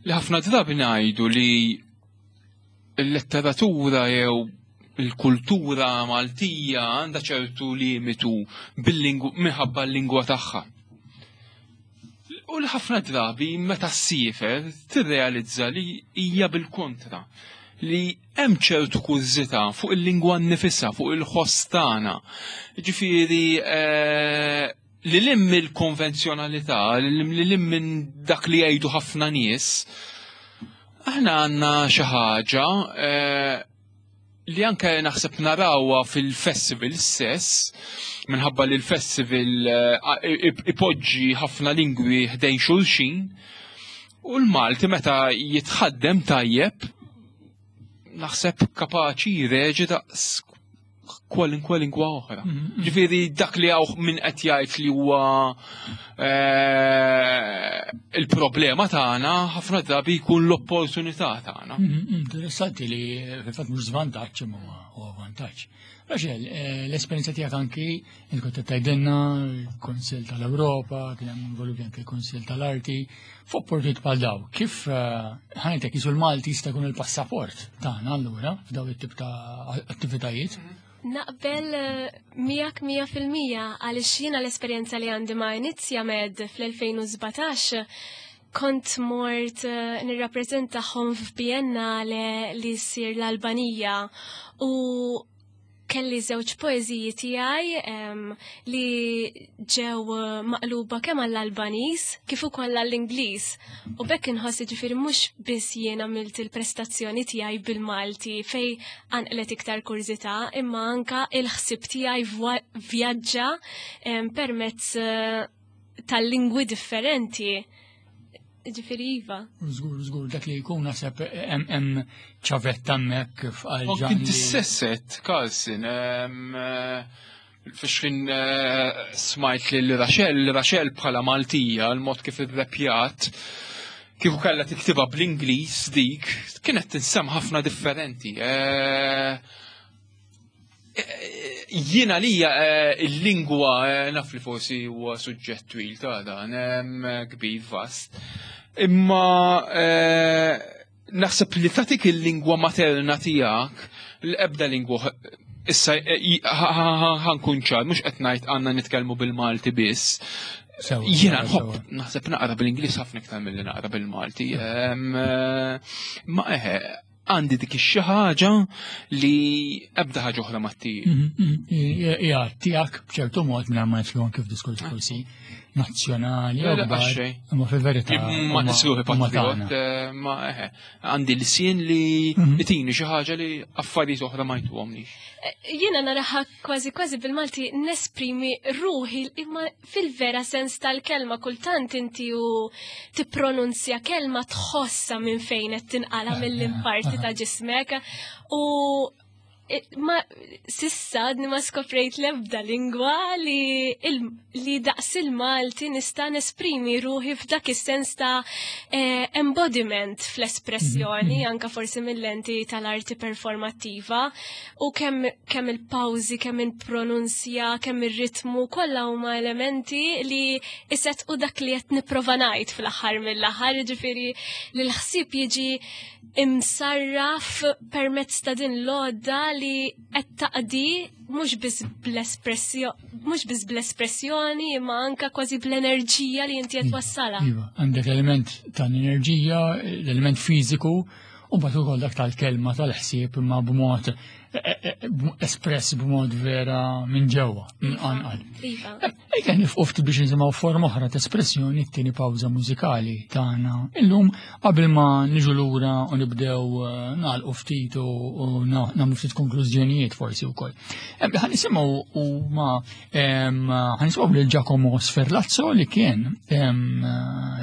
li ħafna drabi ngħidu li l-letteratura jew il-kultura Maltija għandha ċertu limitu minħabba l-lingwa tagħha. U li ħafna drabi meta ssiefer tirrealizza li hija bil-kontra li hemm ċertu kurżità fuq il-lingwa nnifisha, fuq il-ħoss tagħna. Ġifieri eh, li lim mill-konvenzjonalità, li lim minn dak li jgħidu ħafna nies, aħna għandna xi ħaġa eh, li anke naħseb narawha fil-festival stess, minħabba li l-festival eh, ipoġġi ħafna lingwi ħdejn xulxin, u l-Malti meta jitħaddem tajjeb, naħseb kapaċi jreġi daqs kwalinkwa lingwa oħra. Mm-hmm. Ġifieri dak li hawn min qed jgħid li huwa eh, il-problema tagħna ħafna drabi jkun l-opportunità tagħna. Mm-hmm. Interessanti li fil-fatt mhux żvantaġġ imma huwa vantaġġ. Raxel, eh, l-esperjenza tiegħek anki int kont qed tgħidilna l-Kunsill tal-Ewropa, kien hemm involuti anke l-Kunsill tal-Arti, f'opportunitajiet bħal daw, kif eh, ħajtek jisu l-Malti jista' jkun il-passaport tagħna allura f'daw it-tip ta' attivitajiet? Naqbel eh, miegħek 100% għaliex jiena l-esperjenza li għandi ma' Inizja Med fl-2017 kont mort eh, nirrappreżentahom f'Biennale li ssir l-Albanija u kelli żewġ poeżiji tiegħi li ġew eh, maqluba kemm għall-Albaniż kif ukoll għall-Ingliż. U bekk inħoss ġifieri mhux biss jien għamilt il-prestazzjoni tiegħi bil-Malti fej qanqlet iktar kurżità, imma anka il-ħsieb tiegħi vjaġġa permezz eh, tal-lingwi differenti. Ġifieri iva. Żgur, żgur, dak li jkun naħseb hemm ċavetta hemmhekk f'qal Kien tissesset, Carlson, eh, fiex eh, smajt li Rachel, Rachel bħala Maltija, l-mod kif irrepjat, kieku kellha tiktibha bl-Ingliż dik, kienet tinsem ħafna differenti. Eh, Jiena lija eh, il-lingwa eh, naf li forsi huwa suġġett twil ta' dan, kbir vast. Imma eh, naħseb li tatik il-lingwa materna tiegħek l-ebda lingwa issa ħankun ċar, mhux qed ngħid għandna nitkellmu bil-Malti biss. Jiena nħobb naħseb naqra bil-Ingliż ħafna iktar milli naqra bil-Malti. Ma eħe, għandi dik ix-xi ħaġa li ebda ħaġa oħra ma ttih. Mhm, mhm. Hija tiegħek b'ċertu mod mingħajr ma nidħlu anke f'diskors ah. forsi nazzjonali jew kbar. Imma fil-verità. Ma nisruħi patriot, eh, ma eħe. Għandi l-sien li mhm. tini xi ħaġa li affarijiet oħra ma jtuhomlix. Eh, jiena naraha kważi kważi bil-Malti nesprimi ruħi imma fil-vera sens tal-kelma kultant inti u tippronunzja kelma tħossa minn fejn qed tinqala mill-imparti ta' ġismek u ma sissa għadni ma skoprejt l-ebda lingwa li, il, li daqs il-Malti nista' nesprimi ruħi f'dak is-sens ta' eh, embodiment fl-espressjoni, mm-hmm. anka forsi mill-lenti tal-arti performattiva u kemm kemm il-pawżi, kemm il-pronunzja, kemm ir-ritmu, kollha huma elementi li isettqu dak li qed nipprova ngħid fl-aħħar mill-aħħar, jiġifieri li l-ħsieb jiġi imsarraf permezz ta' din l-għodda li qed taqdi mhux biss bl-espressjoni mhux biss bl-espressjoni imma anka kważi bl-enerġija li inti qed twassalha. Iva, għandek l-element tal-enerġija, l-element fiżiku, u mbagħad ukoll dak tal-kelma tal-ħsieb imma b'mod e, e, e, espress b'mod vera minn ġewwa, minn anqal. Iva. Ejja nifqu ftit biex nisimgħu forma oħra ta' espressjoni t-tieni pawża mużikali tagħna. Illum qabel ma niġu lura u nibdew eh, nagħlqu ftit u nagħmlu ftit konklużjonijiet forsi wkoll. Ħa nisimgħu huma ħa nisimgħu lil Giacomo Sferlazzo li kien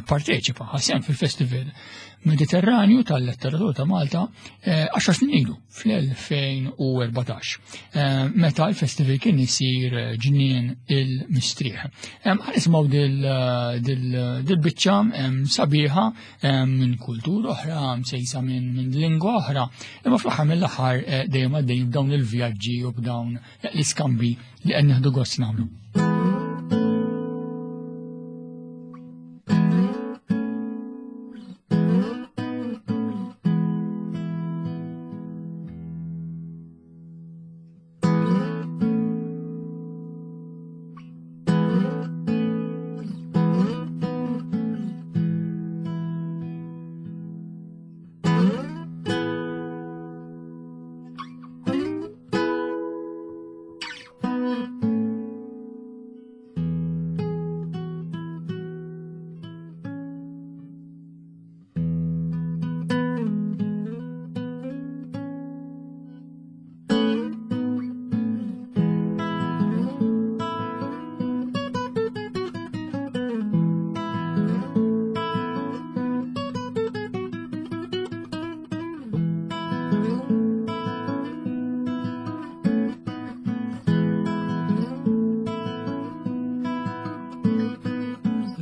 parteċipa ħasem fil-festival. Mediterranju tal-Letteratura ta' Malta 10 snin ilu fl-2014 meta l-festival kien isir ġnien il-Mistrieħ. Ħa nisimgħu dil-biċċa sabiħa minn kultura oħra, msejsa minn lingwa oħra, imma fl-aħħar mill-aħħar dejjem għaddejjin b'dawn il-vjaġġi u b'dawn l-iskambi li qed nieħdu gost nagħmlu.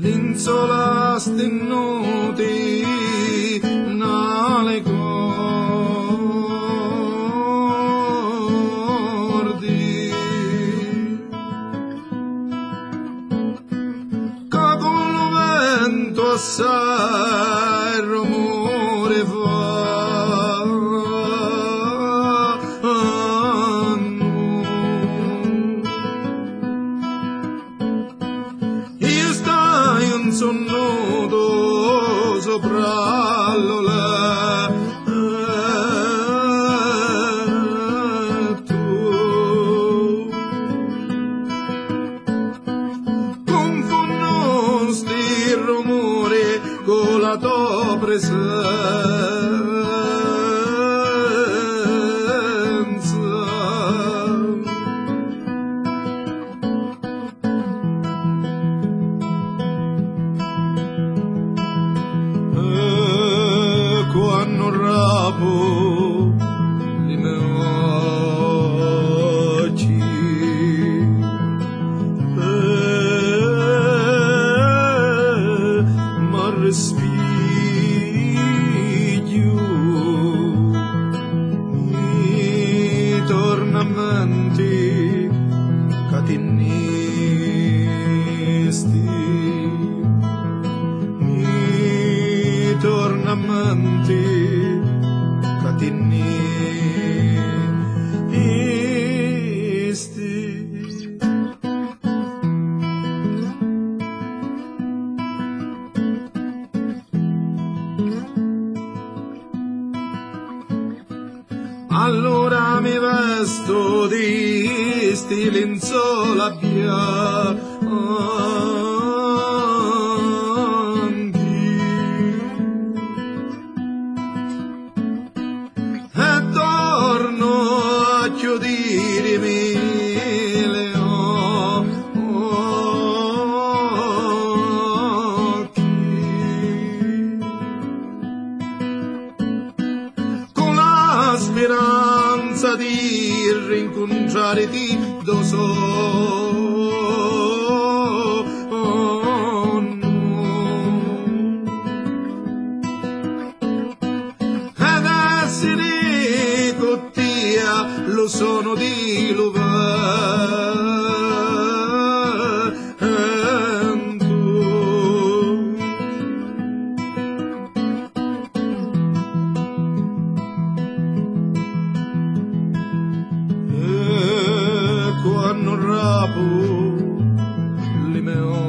L'insola stennuti nale cordi ca con lo vento assai rumore fanno. Io stai un sonnuto sopra l'oletto confonno sti rumori con la tua presenza. E quando rapo li miei occhi ma respiglio mi torna a mente che ti nesti, mi torna a mente che ti nesti. Allora mi vesto di sti lenzuola bianchi e torno a chiudirmi le occhi con la speranza di rincontrarti do sonno. Ed essere con te lo sono di vento. E quando rapo li miei occhi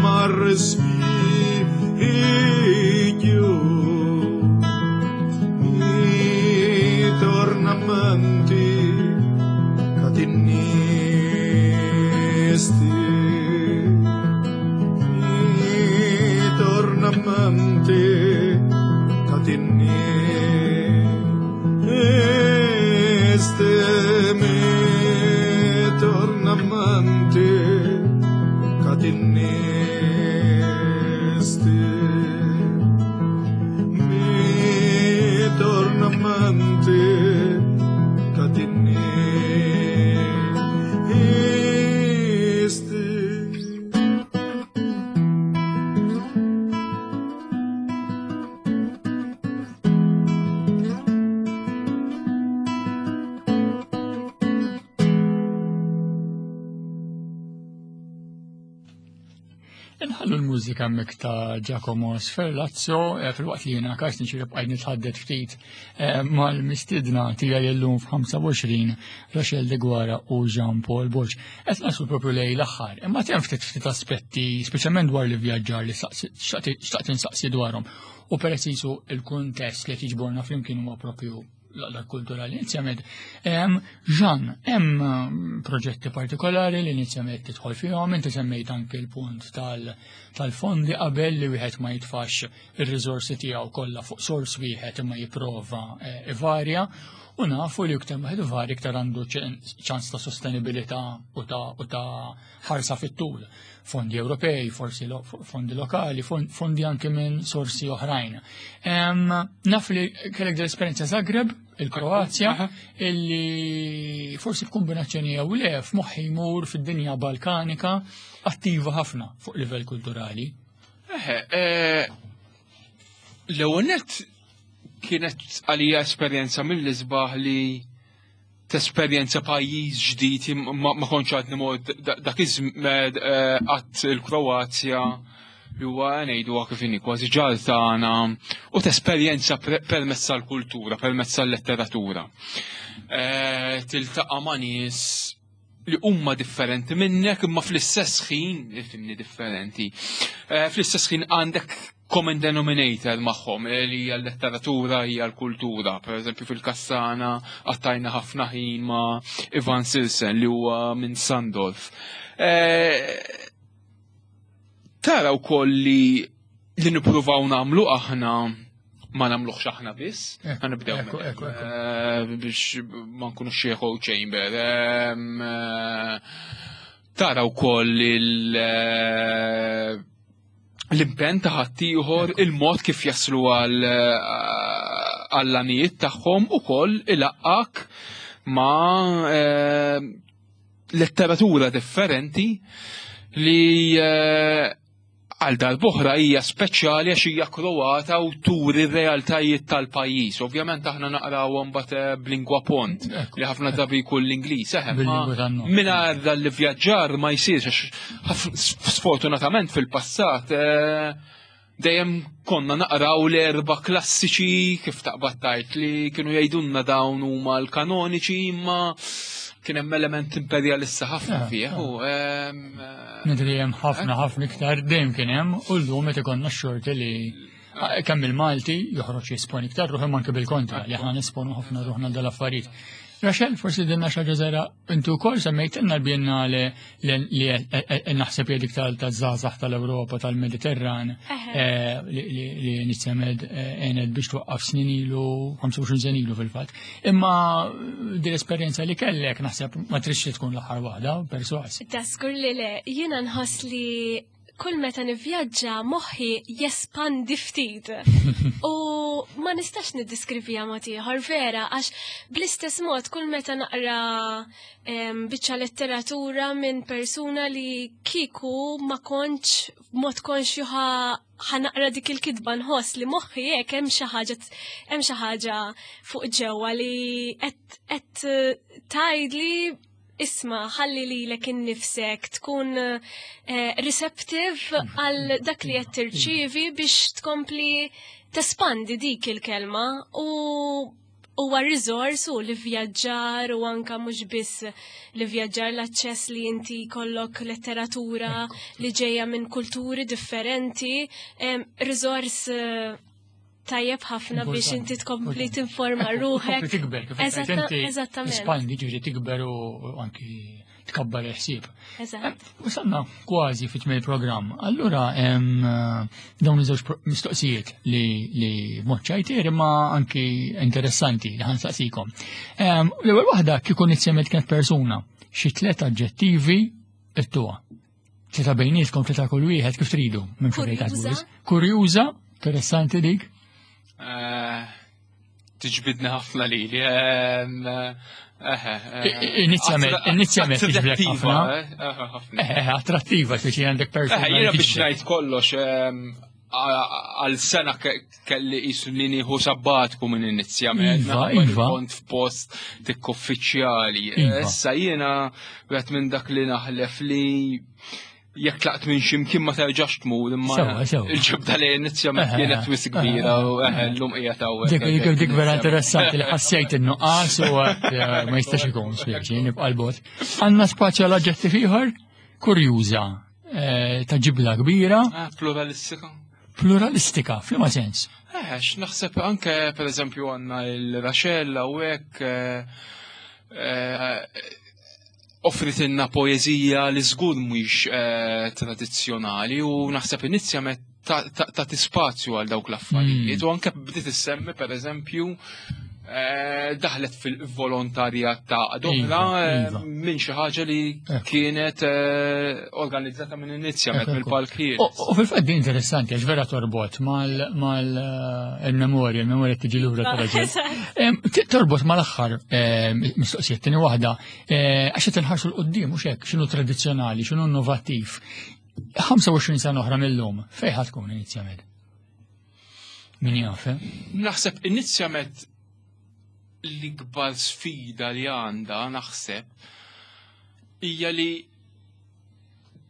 ma respiglio mi torna a mente che ti nesti, mi torna a mente che ti nesti, mi torna a Inħallu l-mużika hemmhekk ta' Giacomo Sferlazzo eh, filwaqt li jiena Karsten xi bqajt nitħaddet ftit eh, mal-mistiedna tiegħi llum f'25 Rachel Deguara u Jean Paul Borg. Qed naslu propju lej l-aħħar, imma hemm ftit ftit aspetti, speċjalment dwar l-ivvjaġġar li xtaqt insaqsi dwarhom. U peress jisu il-kuntest li tiġborna flimkien huwa propju l-għaqda kulturali inizjament. Jean, hemm proġetti partikolari li inizjament tidħol fihom, inti semmejt anke l-punt tal-fondi qabel li wieħed ma jitfax ir-riżorsi tiegħu kollha fuq sors wieħed imma jipprova eh, ivarja u nafu li iktar wieħed ivarja iktar għandu ċans ta' sostenibilità u ta' ħarsa fit-tul. Fondi Ewropej, forsi lo, fondi lokali, fondi anke minn sorsi oħrajn. Naf li kellek dell-esperjenza Zagreb, il-Kroazja, illi forsi f'kombinazzjoni jew le f'moħħi jmur fid-dinja Balkanika attiva ħafna fuq livell kulturali. Eħe, eh, l-ewwel nett kienet għalija esperjenza mill-isbaħ li tesperjenza pajjiż ġdid ma kontx għadni mod dak iż-żmien eh, qatt il-Kroazja li huwa ngħidu kif inhi kważi ġar tagħna u tesperjenza permezz tal-kultura, permezz tal-letteratura. Eh, tiltaqa' ma' nies li huma differenti minnek imma fl-istess ħin, ifimni differenti, eh, fl-istess ħin għandek common denominator magħhom eh, li hija l-letteratura hija l-kultura. Per eżempju fil-Kassana għattajna ħafna ħin ma' Ivan Silsen li huwa minn Sandolf. Eh, tara wkoll li li nippruvaw nagħmlu aħna ma nagħmluhx aħna biss, eh, ħanibdew biex ma nkunux xi echo chamber. Tara wkoll il l-impenn ta' ħaddieħor, il-mod kif jaslu għall-għanijiet tagħhom ukoll ilaqqak ma' eh, letteratura differenti li eh, għal darb'oħra hija speċjali għax hija Kroata u turi r-realtajiet tal-pajjiż. Ovvjament aħna naqrawhom mbagħad eh, b'lingwa pont li ħafna drabi jkun l-Ingliż, eħe, mingħajr dan l-ivvjaġġar ma jsirx għax sfortunatament fil-passat eh, dejjem konna naqraw l-erba klassiċi kif taqbad tajt li kienu jgħidulna dawn huma l-kanoniċi imma kien hemm element imperjalista ħafna eh, fih. Eh. Nidri hemm ħafna ħafna iktar dejjem kien hemm u llum qed ikollna x-xorti li kemm il-Malti joħroġ jisponi iktar ruħu anke bil-kontra li aħna nisponu ħafna ruħna dal-affarijiet. Rachel, forsi dinna xaġa żgħira inti wkoll semmejtilna l-Biennale li naħseb hija dik tal-żgħażagħ tal-Ewropa tal-Mediterran eh, li nitsemed eh, għenet biex twaqqaf snin ilu, 25 sena ilu fil-fatt. Imma din l-esperjenza li kellek naħseb ma trixx tkun l-aħħar waħda, perswas. Taskur li le, jiena nħoss li kull meta nivvjaġġa moħħi jespandi ftit. U ma nistax niddiskrivija mod ieħor vera għax bl-istess mod kull meta naqra biċċa letteratura minn persuna li kieku ma kontx mod konxju ħanaqra dik il-kitba nħoss li moħħi hekk hemm xi ħaġa hemm xi ħaġa fuq ġewwa li qed tgħidli Isma, ħalli lilek innifsek tkun eh, receptive għal dak li qed tirċievi biex tkompli tespandi dik il-kelma u huwa riżors u li vjaġġar u anka mhux biss li vjaġġar l-aċċess li inti kollok letteratura li ġejja minn kulturi differenti, riżors eh, tajjeb ħafna biex inti tkompli tinforma ruħek. Tikber, kif Eżattament. Espandi ġifieri tikber u anki tkabbar il-ħsieb. Eżatt. Eh, wasalna kważi fit tmiem il-programm. Allura hemm eh, dawn iż-żewġ mistoqsijiet li li mod ċajtier imma anki interessanti li ħansaqsikom. L-ewwel waħda kieku nitsemet kienet persuna xi tliet aġġettivi ittuha. Tlieta bejnietkom, tlieta kull wieħed kif tridu. Kurjuża. Kurjuża, interessanti dik. Eh, tiġbidni ħafna lili. Ehm, eh, eh, inizjament, inizjament tiġbidek ħafna. Attrattiva, speċi għandek persuna. Jiena biex ngħid kollox, ehm, għal sena kelli jisu li nieħu sabbatku minn inizjament. Iva, iva. Kont f'post tik uffiċjali. Iva. Issa jiena għet minn dak li naħlef li Jekk tlaqt minn ximkien ma terġax tmur imma il-ġibda li inizjament kienet wis kbira u llum qiegħed hawnhekk. Dik dik vera interessanti li ħassejt in-nuqqas u eh, ma jistax ikun spieċi nibqa' l-bot. Għandna spazju għal aġġettiv ieħor kurjuża eh, ta' ġibla kbira. Ah, pluralistika. Pluralistika, f'liema sens? Eh, naħseb anke per eżempju għandna il-Raxella u hekk eh, offritilna poeżija li żgur mhix eh, tradizzjonali u naħseb inizjament ta' spazju għal dawk l-affarijiet u anke bdiet issemmi pereżempju eh, daħlet fil-volontarjat ta' doħra Iva, eh, iva. minn xi ħaġa li kienet organizzata minn inizjament mill-palkiet. U fil-fatt din interessanti għax vera torbot mal-memorja, il-memorja tiġi lura tal-raġel. Torbot mal-aħħar mistoqsija tieni waħda, għax qed inħarsu l-qudiem mhux hekk, x'inhu tradizzjonali, x'inhu innovattiv. 25 sena oħra mill-lum, fejn ħa tkun inizjament? Min jaf, eh? Naħseb inizjament l-ikbar sfida li għandha naħseb hija li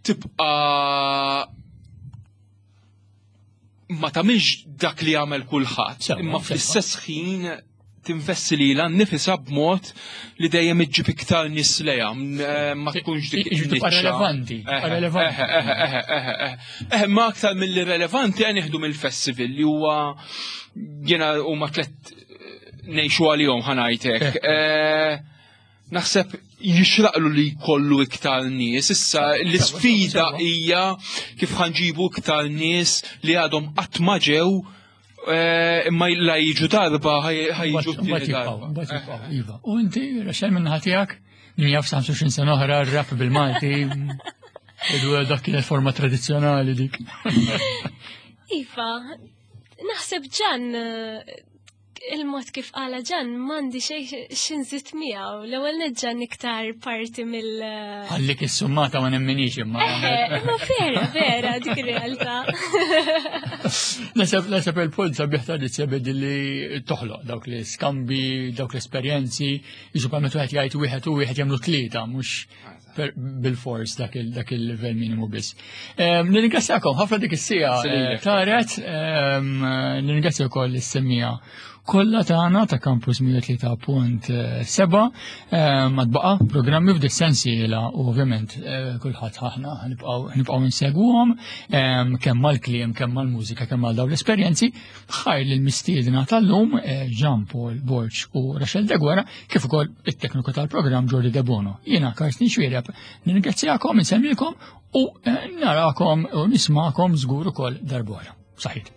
tibqa' ma tagħmilx dak li jagħmel kulħadd, imma fl-istess ħin tinvesti lilha nnifisha b'mod li dejjem iġġib iktar nies lejha, eh, ma tkunx dik Tibqa' in-niċċa. relevanti, tibqa' relevanti. Eħe, eħe, eħe, eħe. Eħe, ma aktar mill-li relevanti għan nieħdu mill-festival li huwa jiena huma tlet ngħixu għalihom ħanajtek. Eh, Naħseb jixraqlu li jkollu iktar nies. Issa l-isfida hija kif ħanġibu iktar nies li għadhom qatt ma ġew eh, imma la jiġu darba ħajġu Mbagħad t-tieni jibqgħu, darba. mbagħad jibqgħu, iva. U inti, Rachel minn tiegħek, min jaf 25 sena oħra r-rap bil-Malti, idu dak kienet forma tradizzjonali dik. Iva, naħseb ġan eh, il-mod kif qala ġan m'għandi xejn x'inżid miegħu. L-ewwel neġġan iktar parti mill Għallik is-summata ma nemminix imma. Eħe, imma vera, vera dik ir-realtà. Naseb naseb il-punt sabiħ tradizzja bedi li toħloq dawk li skambi, dawk l-esperjenzi, jiġu pa meta wieħed jgħid wieħed u wieħed jagħmlu tlieta, mhux bil-fors dak il-livell minimu biss. Nirringrazzjakom ħafna dik is-sija taret, nirringrazzja wkoll is-semmija kollha tagħna ta' Campus 103.7 ma tbaqa' programmi f'dik sensiela u ovvjament kulħadd aħna nibqgħu insegwuhom kemm mal-kliem, kemm mal-mużika, kemm mal dawn l-esperjenzi. Ħajr lil mistiedna tal-lum Jean Paul Borg u Rachel Deguara kif ukoll it-tekniku tal-programm Jordi Debono. Jiena Karsten Xwiereb, nirringrazzjakom, insemmilkom u narakom u nismakom żgur ukoll darb'oħra. Saħit.